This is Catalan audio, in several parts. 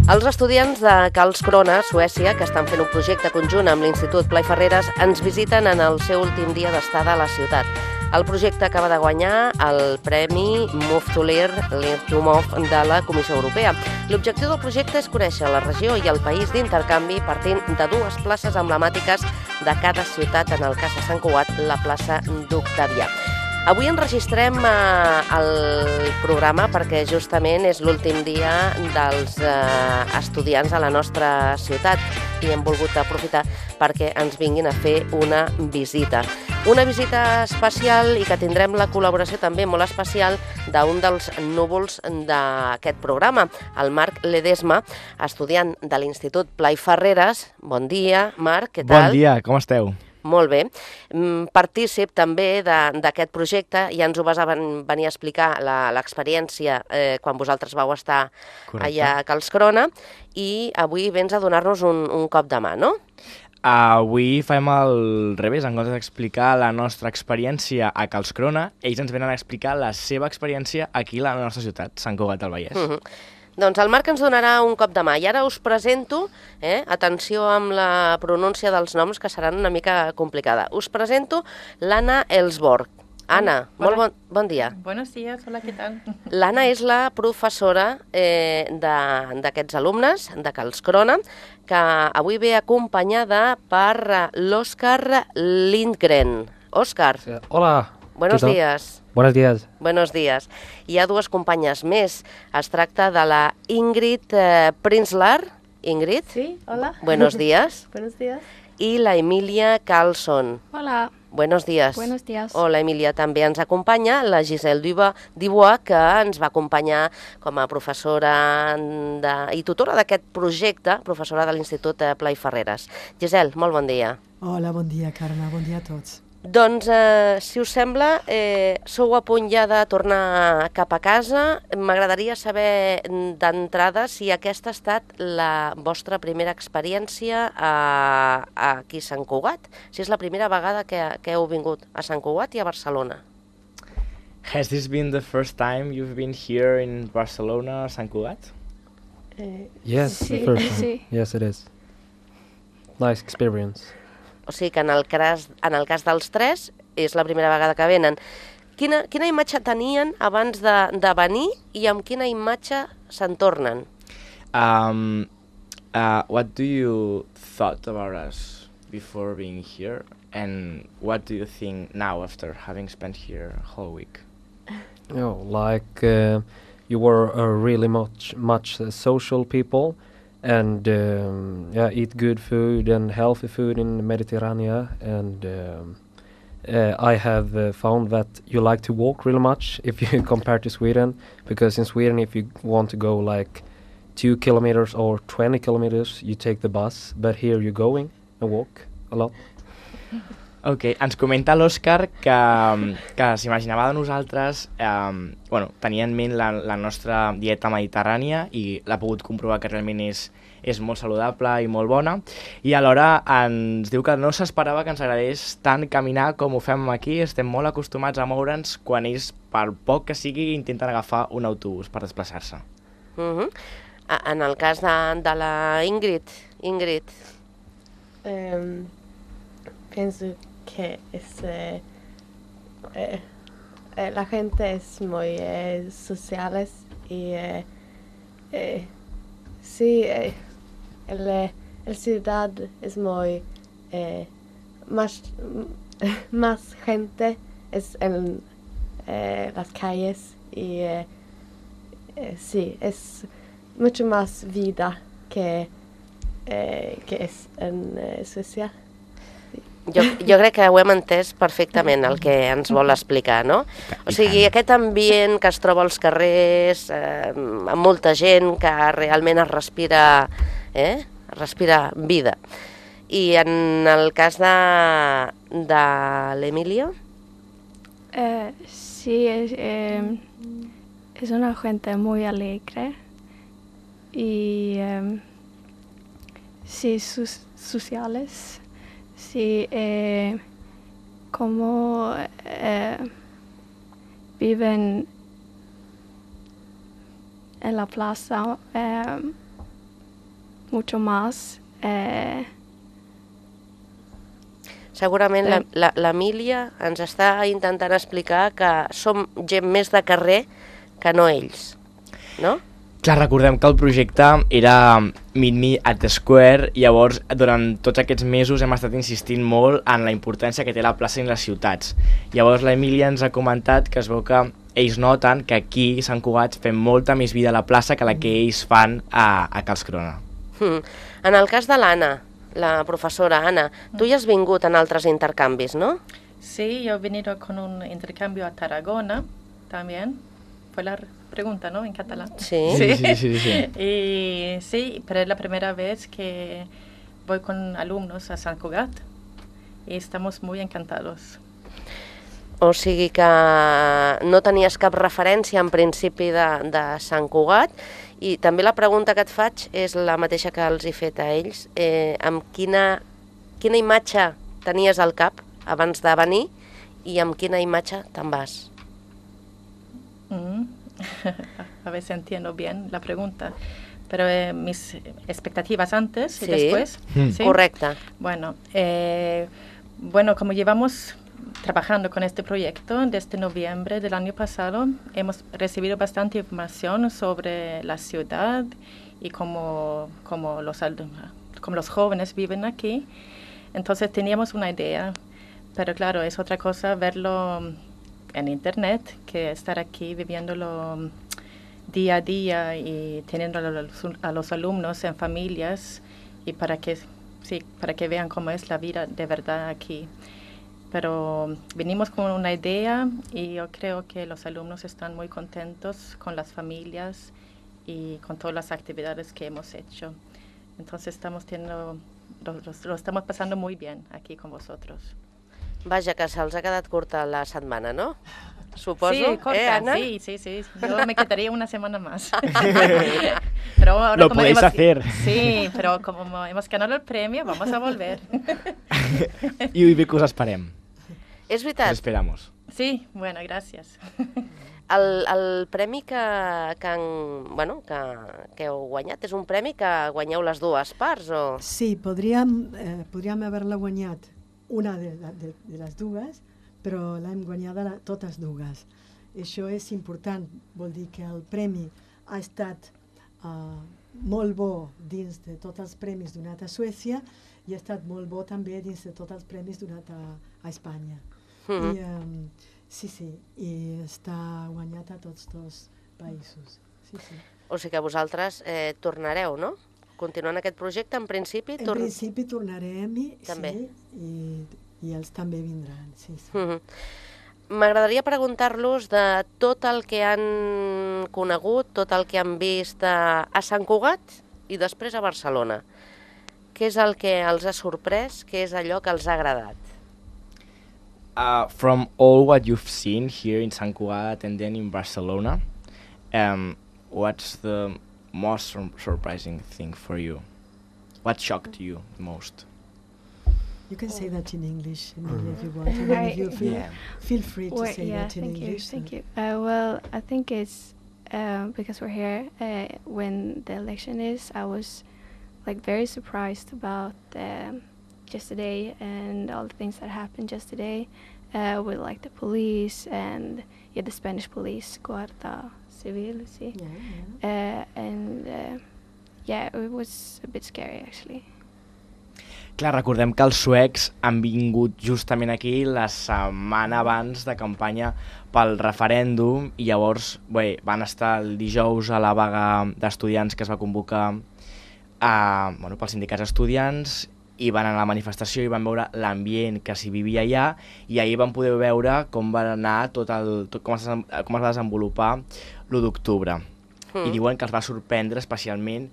Els estudiants de Karlskrona, Suècia, que estan fent un projecte conjunt amb l'Institut Blai Ferreres, ens visiten en el seu últim dia d'estada a la ciutat. El projecte acaba de guanyar el Premi Move to Learn de la Comissió Europea. L'objectiu del projecte és conèixer la regió i el país d'intercanvi partint de dues places emblemàtiques de cada ciutat, en el cas de Sant Cugat, la plaça d'Octavià. Avui enregistrem el programa perquè justament és l'últim dia dels estudiants a la nostra ciutat i hem volgut aprofitar perquè ens vinguin a fer una visita. Una visita especial i que tindrem la col·laboració també molt especial d'un dels núvols d'aquest programa, el Marc Ledesma, estudiant de l'Institut Blai Ferreres. Bon dia, Marc, què tal? Bon dia, com esteu? Molt bé. Partícip també d'aquest projecte, ja ens ho vas venir a explicar l'experiència quan vosaltres vau estar allà a Karlskrona i avui vens a donar-nos un cop de mà, no? Avui fem el revés, en comptes d'explicar la nostra experiència a Karlskrona, ells ens venen a explicar la seva experiència aquí a la nostra ciutat, Sant Cugat del Vallès. Doncs el Marc ens donarà un cop de mà i ara us presento, atenció amb la pronúncia dels noms que seran una mica complicada, us presento l'Anna Ellsborg. Anna, molt bon dia. Buenos días, hola, ¿qué tal? L'Anna és la professora d'aquests alumnes de Karlskrona, que avui ve acompanyada per l'Òscar Lindgren. Òscar. Hola. Buenos días. Buenos días. Buenos días. Hi ha dues companyes més. Es tracta de la Ingrid Prinzlar. Ingrid. Sí, hola. Buenos días. Buenos días. I la Emilia Carlson. Hola. Buenos días. Buenos días. Hola, Emilia. També ens acompanya la Giselle Dubois, que ens va acompanyar com a professora i tutora d'aquest projecte, professora de l'Institut Blai Ferreres. Giselle, molt bon dia. Hola, bon dia, Carme. Bon dia a tots. Doncs, si us sembla, sou a punt ja de tornar cap a casa. M'agradaria saber d'entrada si aquesta ha estat la vostra primera experiència aquí a Sant Cugat, si és la primera vegada que heu vingut a Sant Cugat i a Barcelona. Has this been the first time you've been here in Barcelona, Sant Cugat? Yes, the first time. Yes, it is. Nice experience. O sigui que en el cas dels tres és la primera vegada que venen. Quina imatge tenien abans de venir i amb quina imatge se'n tornen? What do you thought about us before being here? And what do you think now after having spent here a whole week? You were really much social people. And eat good food and healthy food in the Mediterranean. And I have found that you like to walk really much if you compare to Sweden, because in Sweden, if you want to go like 2 kilometers or 20 kilometers, you take the bus, but here you're going and walk a lot. Ok, ens comenta l'Òscar que s'imaginava de nosaltres, tenia en ment la nostra dieta mediterrània i l'ha pogut comprovar que realment és molt saludable i molt bona, i alhora ens diu que no s'esperava que ens agradés tant caminar com ho fem aquí. Estem molt acostumats a moure'ns quan ells, per poc que sigui, intenten agafar un autobús per desplaçar-se. En el cas de la Ingrid, pienso que la gente es muy sociales y sí, el ciudad es muy más gente es en las calles y sí, es mucho más vida que es en Suecia. Jo crec que ho hem entès perfectament, el que ens vol explicar, no? O sigui, aquest ambient que es troba als carrers, amb molta gent que realment es respira vida. I en el cas de l'Emília? Sí, es una gente muy alegre y sí, sociales, sí, cómo viven en la plaza mucho más. Segurament l'Emília ens està intentant explicar que som gent més de carrer que no ells, no? Clar, recordem que el projecte era Meet Me at the Square, llavors durant tots aquests mesos hem estat insistint molt en la importància que té la plaça en les ciutats. Llavors l'Emília ens ha comentat que es veu que ells noten que aquí a Sant Cugat fem molta més vida a la plaça que la que ells fan a Karlskrona. En el cas de l'Anna, la profesora Ana, tu ja has vingut en altres intercanvis, ¿no? Sí, yo he venido con un intercambio a Tarragona también. Fue la pregunta, ¿no? En catalán. Sí. Sí. Y sí, pero es la primera vez que voy con alumnos a Sant Cugat y estamos muy encantados. O sigui que no tenies cap referència en principi de Sant Cugat, i també la pregunta que et faig és la mateixa que els he fet a ells. Amb quina imatge tenies al cap abans de venir i amb quina imatge te'n vas? A ver si entiendo bien la pregunta. Pero mis expectativas antes y Sí. después. ¿Sí? Correcte. Bueno, como llevamos trabajando con este proyecto desde noviembre del año pasado, hemos recibido bastante información sobre la ciudad y cómo los jóvenes viven aquí. Entonces teníamos una idea, pero claro, es otra cosa verlo en internet que estar aquí viviéndolo día a día y teniendo a los alumnos en familias y para que vean cómo es la vida de verdad aquí. Pero venimos con una idea y yo creo que los alumnos están muy contentos con las familias y con todas las actividades que hemos hecho. Entonces lo estamos pasando muy bien aquí con vosotros. Vaja, que se'ls ha quedat curta la setmana, no? Suposo, Sí, corta, Ana? sí. Yo me quedaría una semana más. Pero ahora Lo como podéis hacer. Sí, pero como hemos ganado el premio, vamos a volver. I bé que us esperem. És Us veritat, esperamos. Sí, bueno, gracias. el premi que heu guanyat és un premi que guanyeu les dues parts, o...? Sí, podríem haver-la guanyat una de les dues, però l'hem guanyada totes dues. Això és important, vol dir que el premi ha estat molt bo dins de tots els premis donats a Suècia i ha estat molt bo també dins de tots els premis donats a Espanya. I està guanyat a tots dos països. Sí. O sigui que vosaltres tornareu, no? Continuant aquest projecte, en principi... En principi tornarem També. I ells també vindran. Sí. M'agradaria preguntar-los de tot el que han conegut, tot el que han vist a Sant Cugat i després a Barcelona. Què és el que els ha sorprès? Què és allò que els ha agradat? From all what you've seen here in Sant Cugat and then in Barcelona, what's the most surprising thing for you? What shocked you most? You can say that in English, Emilia, if you want. And then if you feel free to say that in English. Thank you. Well, I think it's because we're here when the election is. I was very surprised about yesterday and all the things that happened yesterday with the police and the Spanish police, Guardia Civil, sí. It was a bit scary actually. Clar, recordem que els suecs han vingut justament aquí la setmana abans de campanya pel referèndum i llavors van estar el dijous a la vaga d'estudiants que es va convocar pels sindicats estudiants i van anar a la manifestació i van veure l'ambient que s'hi vivia allà i ahir van poder veure com va anar com es va desenvolupar l'1 d'octubre. I diuen que els va sorprendre especialment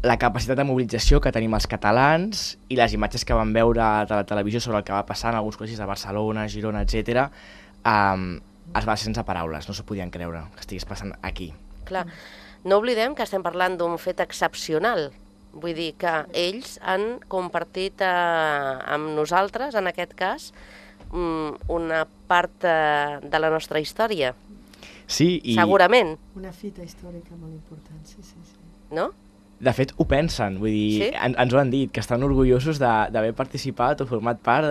la capacitat de mobilització que tenim els catalans i les imatges que van veure a la televisió sobre el que va passar en alguns col·legis de Barcelona, Girona, etc. Es va sense paraules, no s'ho podien creure que estigués passant aquí. Clar, No oblidem que estem parlant d'un fet excepcional. Vull dir que ells han compartit amb nosaltres, en aquest cas, una part de la nostra història. Sí, i... Segurament, Una fita històrica molt important, sí, sí, sí. no? De fet, ho pensen, vull dir, Sí? ens ho han dit, que estan orgullosos d'haver participat o format part,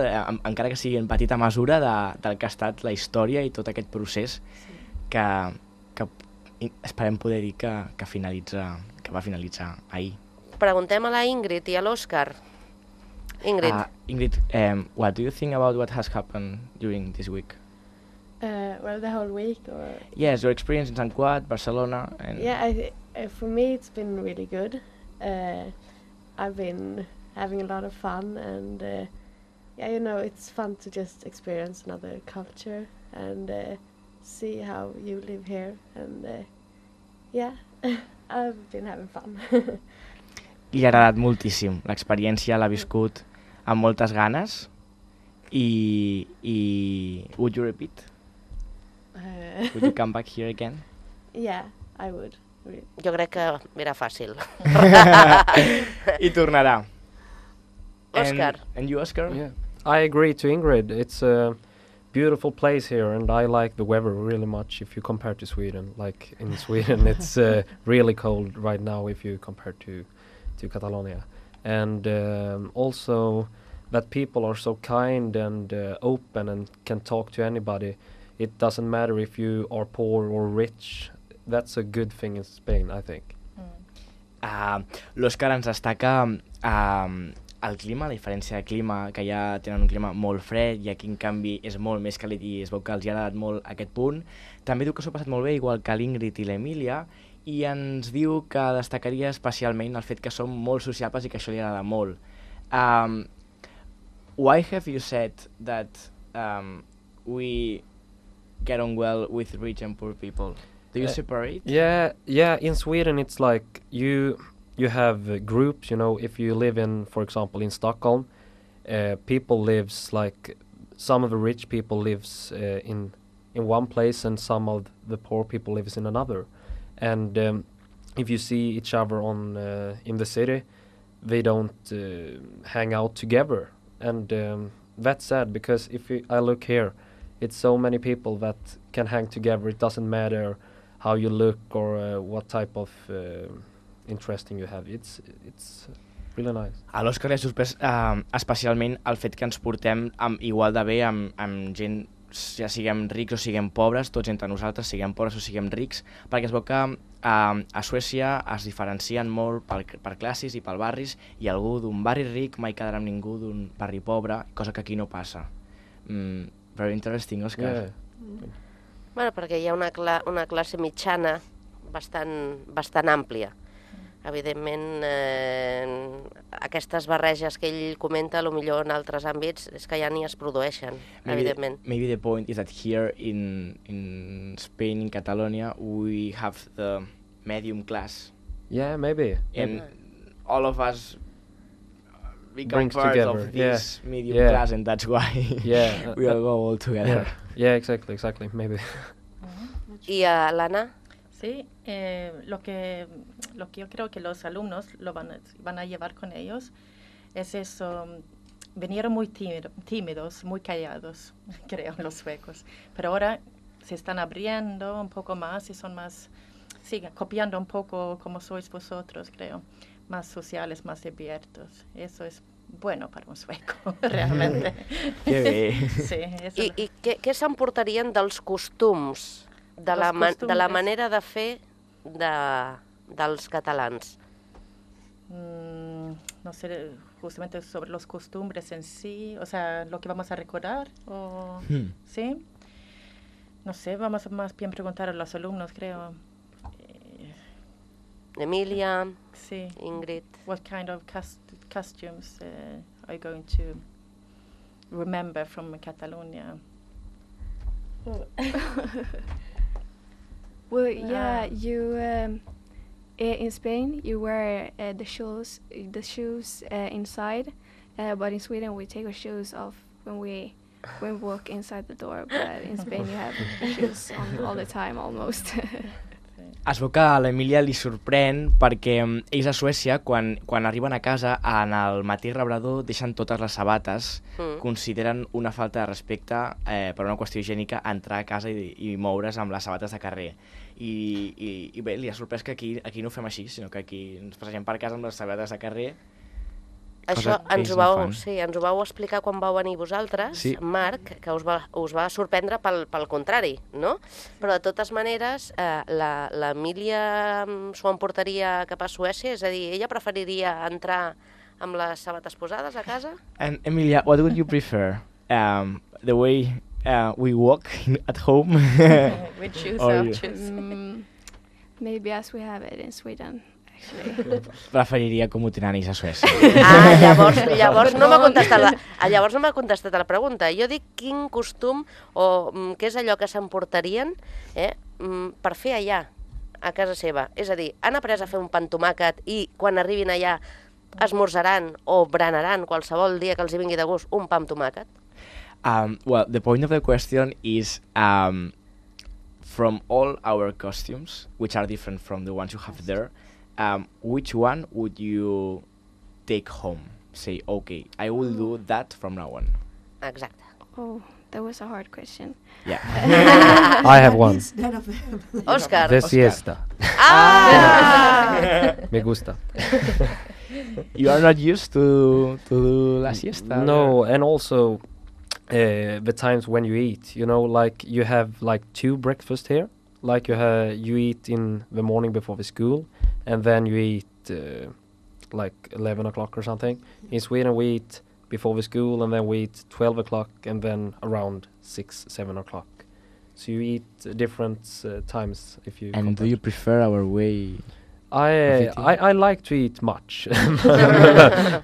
encara que sigui en petita mesura, del que ha estat la història i tot aquest procés que esperem poder dir que va finalitzar ahir. Preguntem a la Ingrid i a l'Òscar. Ingrid, Ingrid, what do you think about what has happened during this week? Well, the whole week, or Yes, your experience in Sant Cugat, Barcelona, and yeah, for me it's been really good. I've been having a lot of fun, and yeah, you know, it's fun to just experience another culture and see how you live here, and yeah, I've been having fun. li ha agradat moltíssim. L'experiència l'ha viscut amb moltes ganes i would you repeat? Would you come back here again? Yeah, I would. Really. jo crec que era fàcil. I tornarà. Òscar. And you, Oscar? Yeah, I agree to Ingrid. It's a beautiful place here, and I like the weather really much if you compare to Sweden. Like in Sweden, it's really cold right now if you compare to Catalonia. And also that people are so kind and open and can talk to anybody. It doesn't matter if you are poor or rich. That's a good thing in Spain, I think. L'Òscar ens destaca el clima, la diferència de clima, que ja tenen un clima molt fred i aquí en canvi és molt més càlid i es veu que els ha agradat molt aquest punt. També diu que s'ho ha passat molt bé, igual que l'Ingrid i l'Emília, i ens diu que destacaria especialment el fet que som molt sociables i que això li agrada molt. Why have you said that we get on well with rich and poor people? Do you separate? Yeah. In Sweden, it's like you have groups. You know, if you live in, for example, in Stockholm, people lives like some of the rich people lives in one place, and some of the poor people lives in another. And if you see each other on in the city, they don't hang out together, and that's sad because I look here, it's so many people that can hang together. It doesn't matter how you look or what type of interesting you have. It's really nice. A l'Òscar li ha sorprès especialment el fet que ens portem igual de bé amb gent, ja siguem rics o siguem pobres, tots entre nosaltres, siguem pobres o siguem rics, perquè es veu que a Suècia es diferencien molt per classes i per barris, i algú d'un barri ric mai quedarà amb ningú d'un barri pobre, cosa que aquí no passa. Very interesting, Òscar. Yeah. Bueno, perquè hi ha una classe mitjana bastant àmplia. Evidentment, aquestes barreges que ell comenta, potser en altres àmbits, és que ja ni es produeixen, evidentment. Maybe the point is that here in Spain, in Catalonia, we have the medium class. Yeah, maybe. And all of us become Brings part together. of this medium Yeah. class, and that's why we all go all together. Yeah, exactly, maybe. I a l'Anna? Sí, lo que yo creo que los alumnos lo van a llevar con ellos es eso. Vinieron muy tímidos, muy callados, creo, los suecos. Pero ahora se están abriendo un poco más y son más, siguen copiando un poco como sois vosotros, creo. Más sociales, más abiertos. Eso es bueno para un sueco, realmente. Que bé. Sí, eso I què s'emportarien dels costums, de la manera de fer dels catalans? no sé, justamente sobre los costumbres en sí, o sea, lo que vamos a recordar, o ¿sí? No sé, vamos a más bien preguntar a los alumnos, creo. Emília, Sí. Ingrid. What kind of costumes are you going to remember from Catalonia? Well, yeah, you in Spain you wear the shoes inside, but in Sweden we take our shoes off when we walk inside the door. But in Spain you have shoes on all the time almost. Es veu que a l'Emília li sorprèn perquè ells a Suècia, quan arriben a casa, en el mateix rebrador deixen totes les sabates, consideren una falta de respecte per una qüestió higiènica entrar a casa i moure's amb les sabates de carrer. I bé, li ha sorprès que aquí no ho fem així, sinó que aquí ens passegem per casa amb les sabates de carrer. Això ens ho vau explicar quan vau venir vosaltres, Marc, que us va sorprendre pel contrari, no? Però de totes maneres, l'Emília s'ho emportaria cap a Suècia? És a dir, ella preferiria entrar amb les sabates posades a casa? And Emilia, what would you prefer? The way we walk at home? We choose. Maybe as we have it in Sweden. Preferiria com ho tenen ells a Suècia. Llavors no m'ha contestat la pregunta. Jo dic quin costum o què és allò que s'emportarien per fer allà, a casa seva. És a dir, han après a fer un pa amb tomàquet i quan arribin allà esmorzaran o berenaran qualsevol dia que els hi vingui de gust un pa amb tomàquet? Well, the point of the question is from all our costumes, which are different from the ones you have there, which one would you take home? Say, okay, I will do that from now on. Exacte. Oh, that was a hard question. Yeah. I have one. Òscar. The siesta. Me gusta. You are not used to do la siesta? No, and also the times when you eat, like you have like 2 breakfasts here. Like you eat in the morning before the school, and then you eat like 11 o'clock or something. In Sweden we eat before the school, and then we eat 12 o'clock, and then around 6, 7 o'clock. So you eat different times if you... And do you prefer our way? I like to eat much.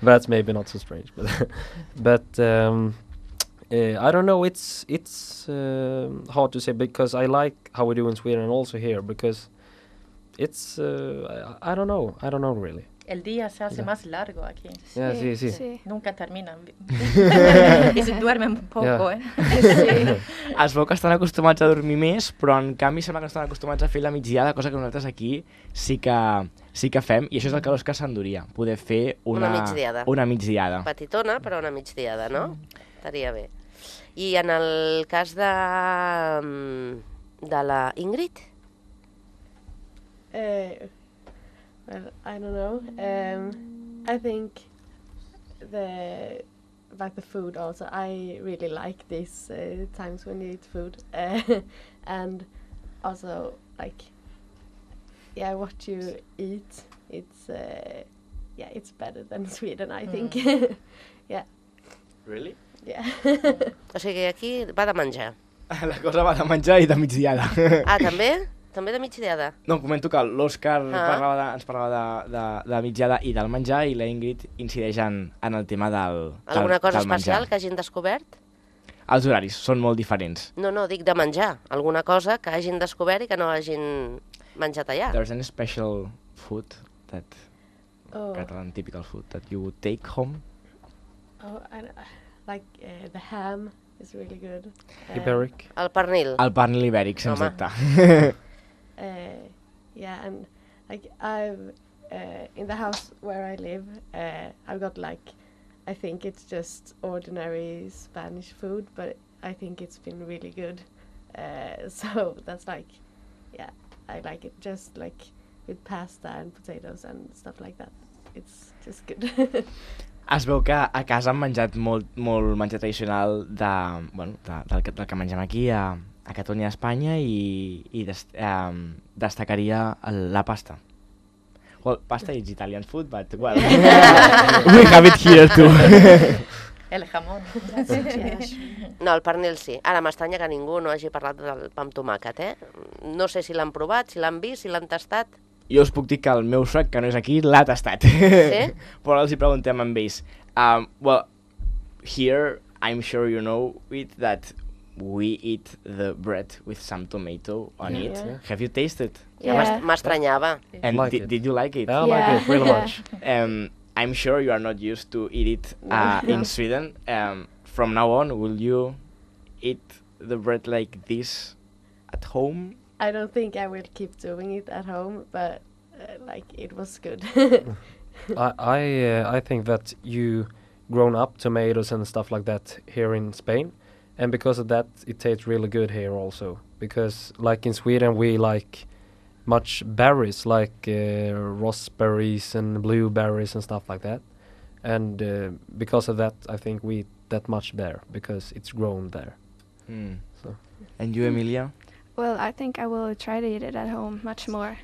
That's maybe not so strange, but I don't know. It's hard to say because I like how we do in Sweden and also here because it's I don't know really. El día se hace más largo aquí. Yeah, sí. Nunca terminan. I se duermen poco, Es veu que estan acostumats a dormir més, però en canvi sembla que estan acostumats a fer la migdiada, cosa que nosaltres aquí sí que fem, i això és el que l'Òscar s'enduria, poder fer una migdiada. Petitona, però una migdiada, no? Estaria bé. I en el cas de la Ingrid? Well, I don't know. I think about the food also. I really like these times when you eat food, and also like, what you eat. It's better than Sweden, I think. Yeah. Really? Yeah. O sigui, aquí va de menjar. La cosa va de menjar i de migdiada. Ah, també? També de migdiada? No, comento que l'Òscar ens parlava de migdiada i del menjar, i la Ingrid incideix en el tema del menjar. Alguna cosa especial que hagin descobert? Els horaris són molt diferents. No, dic de menjar. Alguna cosa que hagin descobert i que no hagin menjat allà. There's any special food that Catalan typical food that you would take home? Oh, like the ham is really good. Iberic. El pernil. El pernil ibèric, sens dubte. Yeah, and like I've in the house where I live, I've got like, I think it's just ordinary Spanish food, but I think it's been really good. So that's like, yeah, I like it just like with pasta and potatoes and stuff like that. It's just good. Es veu que a casa han menjat molt menjar tradicional del que mengem aquí a Catalunya i a Espanya, i destacaria la pasta. Well, pasta is Italian food, but well, we have it here too. El jamón. No, el pernil sí. Ara m'estranya que ningú no hagi parlat del pa amb tomàquet, No sé si l'han provat, si l'han vist, si l'han tastat. Jo us puc dir que el meu suec, que no és aquí, l'ha tastat. Sí? Però els hi preguntem amb ells. Well, here, I'm sure you know it, that we eat the bread with some tomato on it. Yeah. Have you tasted? Ja m'estranyava. And Like it. did you like it? I like it really much. I'm sure you are not used to eat it in Sweden. From now on, will you eat the bread like this at home? I don't think I will keep doing it at home, but like it was good. I think that you grown up tomatoes and stuff like that here in Spain, and because of that it tastes really good here also, because like in Sweden we like much berries like raspberries and blueberries and stuff like that, and because of that I think we eat that much there because it's grown there. So. And you, Emilia? Well, I think I will try to eat it at home much more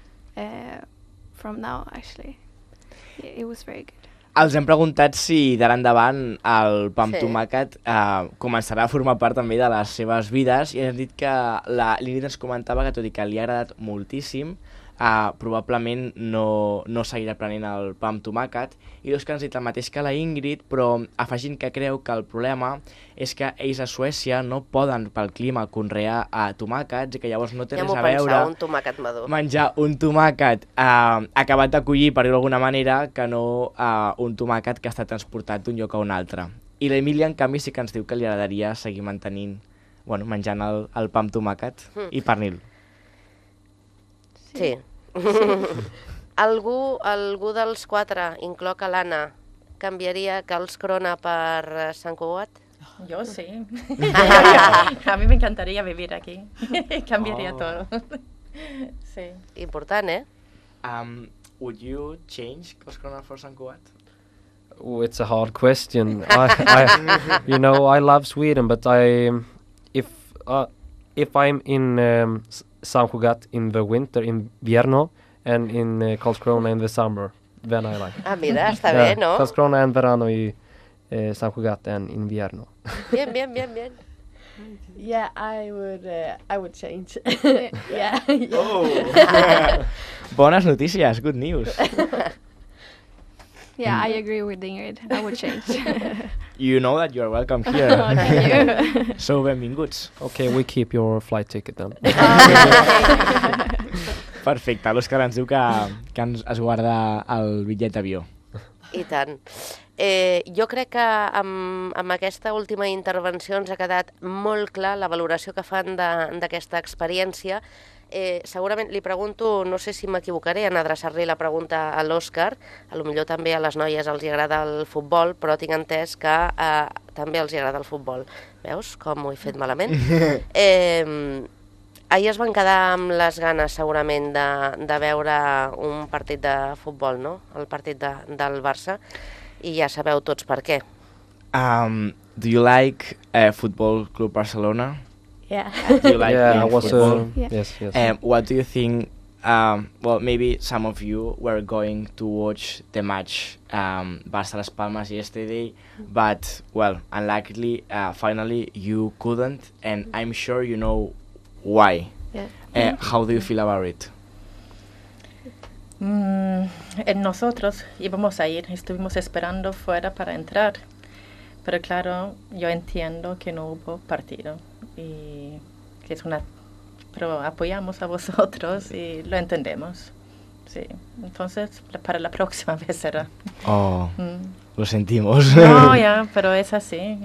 from now, actually. It was very good. Els hem preguntat si d'ara endavant el pa amb Sí. tomàquet començarà a formar part també de les seves vides, i hem dit que l'Ingrid ens comentava que tot i que li ha agradat moltíssim, probablement no seguirà prenent el pa amb tomàquet, i l'Òscar ens ha dit el mateix que la Ingrid, però afegint que creu que el problema és que ells a Suècia no poden pel clima conrear tomàquets, i que llavors no té Ja res m'ho a veure pensava, un tomàquet madur. menjar un tomàquet acabat de collir, per dir-ho d'alguna manera, que no un tomàquet que està transportat d'un lloc a un altre. I l'Emília, en canvi, sí que ens diu que li agradaria seguir menjant el pa amb tomàquet i pernil. Sí. Algú dels quatre, incloc a l'Anna, canviaria Carls Crona per Sant Cugat? Yo sí. A mí me encantaría vivir aquí. Cambiaría todo. Sí. Important, eh? Would you change Carls Crona for Sant Cugat? Oh, it's a hard question. I love Sweden, but if I'm in San Cugat in the winter, in invierno, and in Karlskrona in the summer, then I like it. Mira, està bé, no? Karlskrona en verano y San Cugat en invierno. Bien. Yeah, I would change. Yeah. Bones notícies, good news. Yeah, I agree with Ingrid. I would change. You know that you're welcome here. Oh, thank you. So benvinguts. Okay, we keep your flight ticket then. Perfecte, l'Òscar ens diu que es guarda el bitllet d'avió. I tant. Jo crec que amb aquesta última intervenció ens ha quedat molt clar la valoració que fan d'aquesta experiència. Segurament li pregunto, no sé si m'equivocaré en adreçar-li la pregunta a l'Òscar, potser també a les noies els agrada el futbol, però tinc entès que també els agrada el futbol. Veus com ho he fet malament? Ahir es van quedar amb les ganes segurament de veure un partit de futbol, no? El partit del Barça, i ja sabeu tots per què. Do you like Football Club Barcelona? Yeah. Do you like playing football? Yes. What do you think? Well, maybe some of you were going to watch the match Barça-Las Palmas yesterday, but, well, unluckily, finally you couldn't, and I'm sure you know why. Yeah. How do you feel about it? Nosotros íbamos a ir, estuvimos esperando fuera para entrar, pero claro, yo entiendo que no hubo partido y que pero apoyamos a vosotros y lo entendemos. Sí, entonces para la próxima vez será. Oh, lo sentimos. No, ya, pero es así,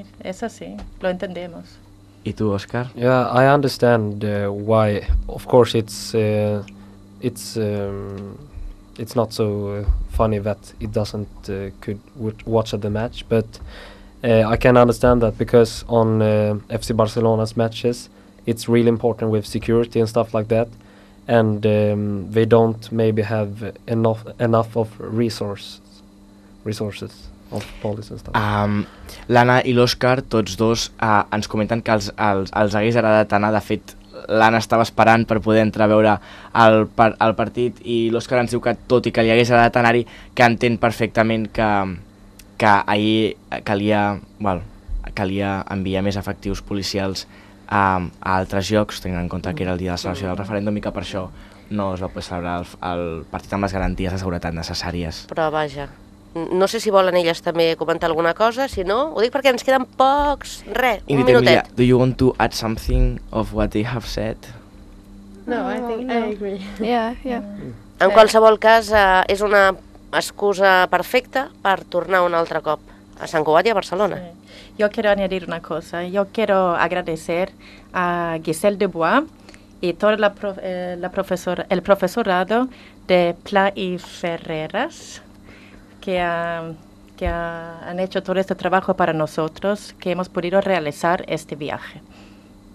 lo entendemos. ¿Y tú, Oscar? Yeah, I understand why. Of course, it's not so funny that it doesn't could watch the match, but I can understand that because on FC Barcelona's matches, it's really important with security and stuff like that, and they don't maybe have enough of resources of police and stuff. L'Anna i l'Òscar, tots dos, ens comenten que els hagués agradat anar. De fet, l'Anna estava esperant per poder entrar a veure el partit, i l'Òscar ens diu que, tot i que li hagués agradat anar-hi, que entén perfectament que ahir calia enviar més efectius policials a altres llocs, tenint en compte que era el dia de la celebració del referèndum, i que per això no es va poder celebrar el partit amb les garanties de seguretat necessàries. Però vaja, no sé si volen elles també comentar alguna cosa, si no, ho dic perquè ens queden pocs, un minutet. Do you want to add something of what they have said? No, I think I agree. Yeah. En qualsevol cas, és una excusa perfecta per tornar un altre cop a Sant Cugat i a Barcelona. Yo quiero añadir una cosa. Yo quiero agradecer a Giselle Dubois y todo el profesorado de Pla y Ferreras que han hecho todo este trabajo para nosotros, que hemos podido realizar este viaje.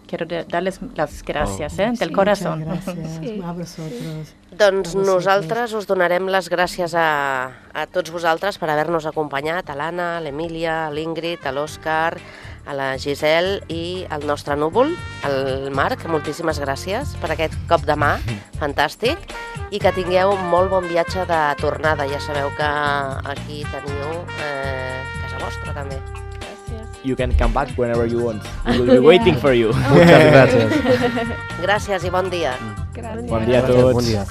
Quiero darles las gràcies, del corazón. Gràcies Sí. a vosaltres. Doncs A vosaltres. nosaltres us donarem les gràcies a tots vosaltres per haver-nos acompanyat, a l'Anna, a l'Emília, a l'Ingrid, a l'Òscar, a la Giselle i al nostre núvol, el Marc. Moltíssimes gràcies per aquest cop de mà fantàstic i que tingueu un molt bon viatge de tornada. Ja sabeu que aquí teniu casa vostra també. You can come back whenever you want. We will be waiting for you. Muchas gracias. Gràcies i bon dia. Gracias. Bon dia a Gracias, tots. buen día.